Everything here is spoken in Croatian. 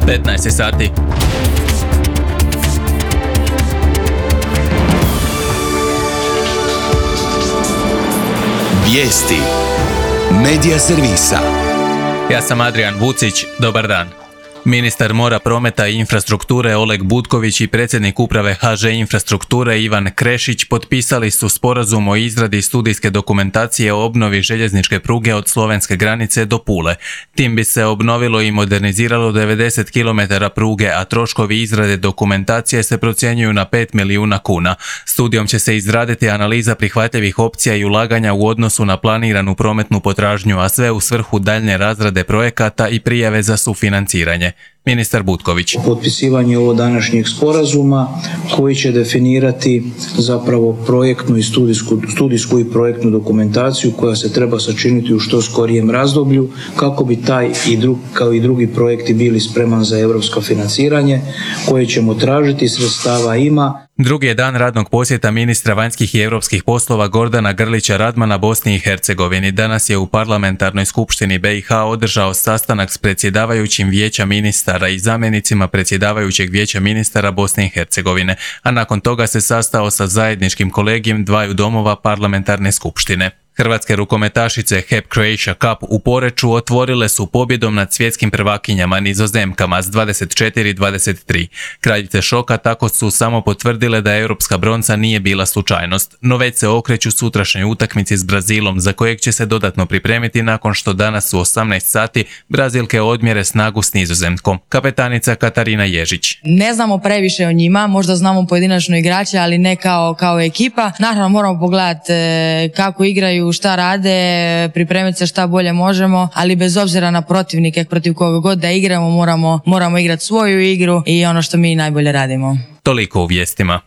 15 sati. Vijesti Medija servisa. Ja sam Adrian Vucić, dobar dan. Ministar mora, prometa i infrastrukture Oleg Butković i predsjednik uprave HŽ Infrastrukture Ivan Krešić potpisali su sporazum o izradi studijske dokumentacije o obnovi željezničke pruge od slovenske granice do Pule. Tim bi se obnovilo i moderniziralo 90 km pruge, a troškovi izrade dokumentacije se procjenjuju na 5 milijuna kuna. Studijom će se izraditi analiza prihvatljivih opcija i ulaganja u odnosu na planiranu prometnu potražnju, a sve u svrhu daljnje razrade projekata i prijave za sufinanciranje. Ministar Butković. Potpisivanje ovo današnjeg sporazuma koji će definirati zapravo projektnu i studijsku i projektnu dokumentaciju koja se treba sačiniti u što skorijem razdoblju kako bi taj kao i drugi projekti bili spreman za europsko financiranje koje ćemo tražiti, sredstava ima. Drugi je dan radnog posjeta ministra vanjskih i europskih poslova Gordana Grlića Radmana Bosni i Hercegovini. Danas je u parlamentarnoj skupštini BiH održao sastanak s predsjedavajućim vijeća ministara i zamjenicima predsjedavajućeg vijeća ministara Bosne i Hercegovine, a nakon toga se sastao sa zajedničkim kolegijem dvaju domova parlamentarne skupštine. Hrvatske rukometašice HEP Croatia Cup u Poreču otvorile su pobjedom nad svjetskim prvakinjama Nizozemkama s 24-23. Kraljice šoka tako su samo potvrdile da europska bronca nije bila slučajnost, no već se okreću sutrašnjoj utakmici s Brazilom, za kojeg će se dodatno pripremiti nakon što danas u 18 sati Brazilke odmjere snagu s Nizozemkom. Kapetanica Katarina Ježić. Ne znamo previše o njima, možda znamo pojedinačno igrače, ali ne kao ekipa. Naravno moramo pogledati kako igraju, šta rade, pripremiti se šta bolje možemo, ali bez obzira na protivnike protiv koga god da igramo moramo igrati svoju igru i ono što mi najbolje radimo. Toliko u vijestima.